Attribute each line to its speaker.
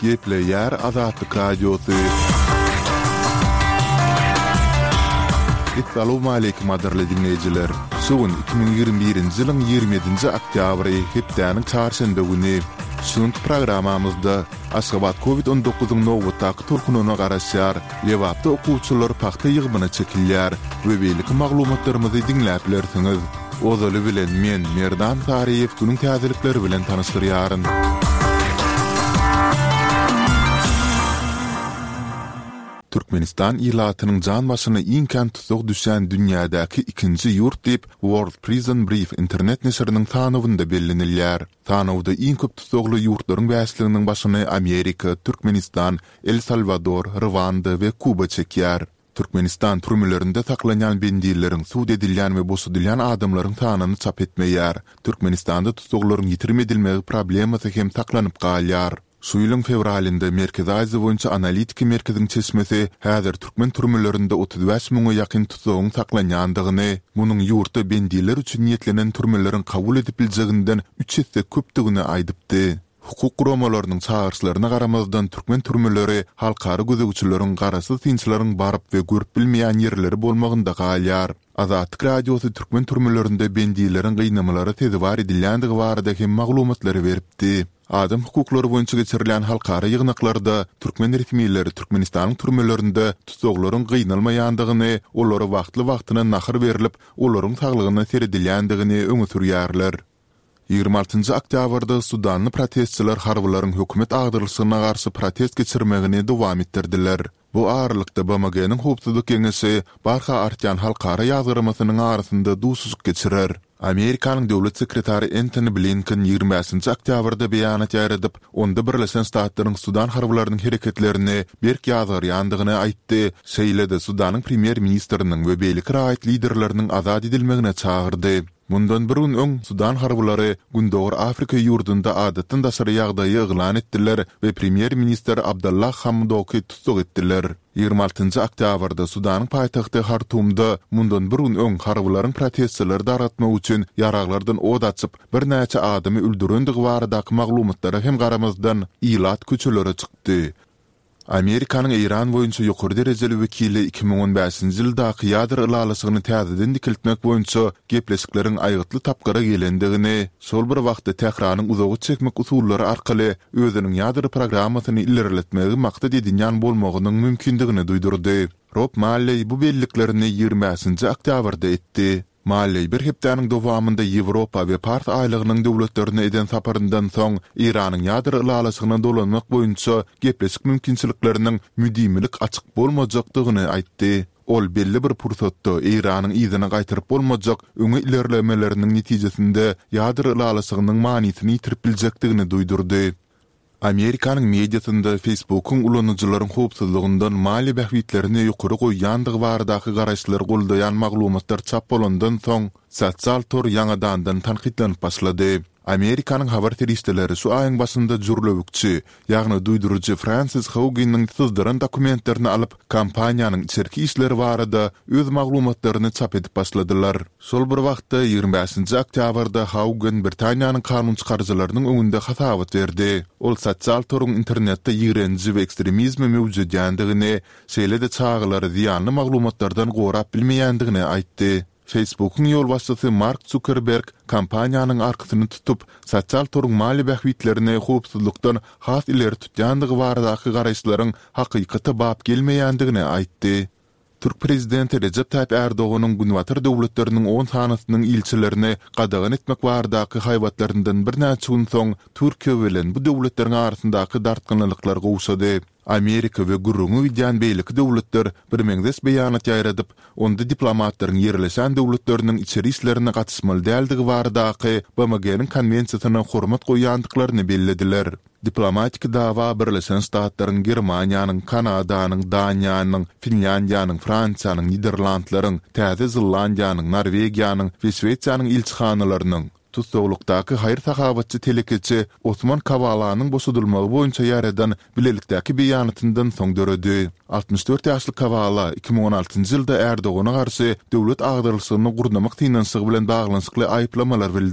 Speaker 1: Gepleýär Azatlyk Radiosy. Essalawmaleýkim gadyrly diňleýjiler! Şu gün 2021-nji ýylyň 27-nji oktýabry, hepdäniň çarşenbe güni. Şu günki programmamyzda Aşgabat Covid on dokuzyň nobatdaky tolkunyna garaşýar, Lebapda okuwçylar pagta ýygymyna çekilýär we beýleki maglumatlarymyzy diňläp bilersiňiz. Ozaly bilen men, Merdan Saryýew günüň täzelikleri bilen tanyşdyrýaryn. Türkmenistan ilatynyň jan başyna iň kän tussag düşýän dünýädäki ikinji ýurt diýip, World Prison Brief internet neşiriniň sanawynda bellenilýär. Sanawda iň köp tussagly ýurtlaryň bäşliginiň başyny Amerika, Türkmenistan, El Salwador, Rwanda we Kuba çekýär. Türkmenistan türmelerinde saklanýan bendileriň, sud edilýän we boşadylýan adamlaryň sanyny çap etmeýär. Türkmenistanda tussaglaryň ýitirim edilmegi problemasy hem saklanyp galýar. Şu ýylyň fewralynda Merkezi Aziýa boýunça analitiki merkeziň çeşmesi häzir türkmen türmelerinde 35 müňe ýakyn tussagyň saklanýandygyny, munuň ýurtda bendiler üçin niýetlenen türmeleriň kabul edip biljeginden üç esse köpdügini aýdypdy. Hukuk guramalarynyň çagyryşlaryna garamazdan türkmen türmeleri halkara gözegçileriň, garaşsyz synçylaryň baryp we görüp bilmeýän ýerleri bolmagynda galýar. Azatlyk Radiosy türkmen türmelerinde bendileriň gynamalara sezewar edilýändigi barada hem maglumatlary beripdi. Adam hukuklary boýunça geçirilýän halkara ýygnaklarda türkmen resmileri Türkmenistanyň türmelerinde tussaglaryň gynalmaýandygyny, olara wagtly-wagtyna nahar berlip, olaryň saglygyna seredilýändigini öňe sürýärler. 26-njy oktýabrda sudanly protestçiler harbylaryň hökümet agdarylyşygyna garşy protest geçirmegini dowam etdirdiler. Bu aralykda BMG-niň Howpsuzlyk Geňeşi barha artýan halkara ýazgarmasynyň arasynda duşuşyk geçirer. Amerikanyň döwlet sekretary Entoni Blinken 25-nji oktýabrda beýanat ýaýradyp, onda Birleşen Ştatlaryň sudan harbylarynyň hereketlerini berk ýazgarýandygyny aýtdy, şeýle-de Sudanyň premýer-ministriniň we beýleki raýat liderleriniň azat edilmegine çagyrdy. Mundan bir gün öň sudan harbylary Gündogar Afrika ýurdunda adatdan daşary ýagdaýy yglan etdiler we premýer-ministr Abdallah Hamdoky tussag etdiler. 26-njy oktýabrda Sudanyň paýtagty Hartumda mundan bir gün öň harbylaryň protestçileri dargatmak üçin ýaraglardan ot açyp, birnäçe adamy öldürendigi baradaky maglumatlara hem garamazdan, ilat köçelere çykdy. Amerikanyň Eýran boýunça ýokary derejeli wekili 2015-nji ýyldaky ýadro ylalaşygyny täzeden dikeltmek boýunça gepleşikleriň aýgytly tapgyra gelendigini, şol bir wagtda Tähranyň uzaga çekmek usullary arkaly özüniň ýadro programmasyny ilerletmegi maksat edinýän bolmagynyň mümkindigini duýdurdy. Rob Malleý bu belliklerini 25-nji oktýabrda etdi. Malleý bir hepdäniň dowamynda Ýewropa we Pars aýlagynyň döwletlerine eden saparyndan soň, Eýranyň ýadro ylalaşygyna dolanmak boýunça gepleşik mümkinçilikleriniň müdimilik açyk bolmajakdygyny aýtdy. Ol belli bir pursatda Eýranyň yzyna gaýtaryp bolmajak öňe ilerlemeleriniň netijesinde ýadro ylalaşygynyň manysyny ýitirip biljekdigini duýdurdy. Amerikanyň mediasynda Facebook-yň ulanyjylaryň howpsuzlygyndan maliýe bähbitlerini ýokary goýýandygy baradaky garaýyşlary goldaýan maglumatlar çap bolandan soň, sosial tor ýaňadandan tankytlanyp başlady. Amerikanyň habar serişdeleri şu aýyň başynda jürlewükçi, ýagny duýduryjy Fransis Haugeniň syzdyran dokumentlerini alyp, kompaniýanyň içerki işleri barada öz maglumatlaryny çap edip başladylar. Şol bir wagtda, 25-nji oktýabrda Haugen Britaniýanyň kanunçykaryjylarynyň öňünde hasabat berdi. Ol sosial toruň internetde ýigrenji we ekstremizmi möwjedýändigini, şeýle-de çagalary zyýanly maglumatlardan gorap bilmeýändigini aýtdy. Facebook-yň ýolbaşçysy Mark Zukerberg kompaniýanyň arkasyny tutup, sosial toruň maliýe bähbitlerini howpsuzlykdan has ileri tutýandygy baradaky garaýyşlaryň hakykata bap gelmeýändigini aýtdy. Türk prezidenti Rejep Taýyp Ärdoganyň Günbatar döwletleriniň on sanysynyň ilçilerini gadagan etmek baradaky haýbatlaryndan birnäçe gün soň Türkiýe bilen bu döwletleriň arasyndaky dartgynlylyklar gowşady. Amerika we gürrüňi gidýän beýleki döwletler birmeňzeş beýanat ýaýradyp, onda diplomatlaryň ýerleşen döwletleriniň içeri işlerine gatyşmaly däldigi baradaky BMG-niň konwensiýasyna hormat goýýandyklaryny bellediler. Diplomatik dawa Birleşen Ştatlaryň, Germaniýanyň, Kanadanyň, Daniýanyň, Finlýandiýanyň, Fransiýanyň, Niderlandlaryň, Täze Zelandiýanyň, Norwegiýanyň we Şwesiýanyň ilçihanalarynyň, tussaglykdaky haýyr-sahawatçy telekeçi Osman Kawalanyň boşadylmagy boýunça ýaýradan bilelikdäki beýanatyndan soň döredi. 64 ýaşly Kawala 2016-njy ýylda Erdogana garşy döwlet agdarylyşygyny gurnamak synanyşygy bilen baglanyşykly aýyplamalar bildirildi.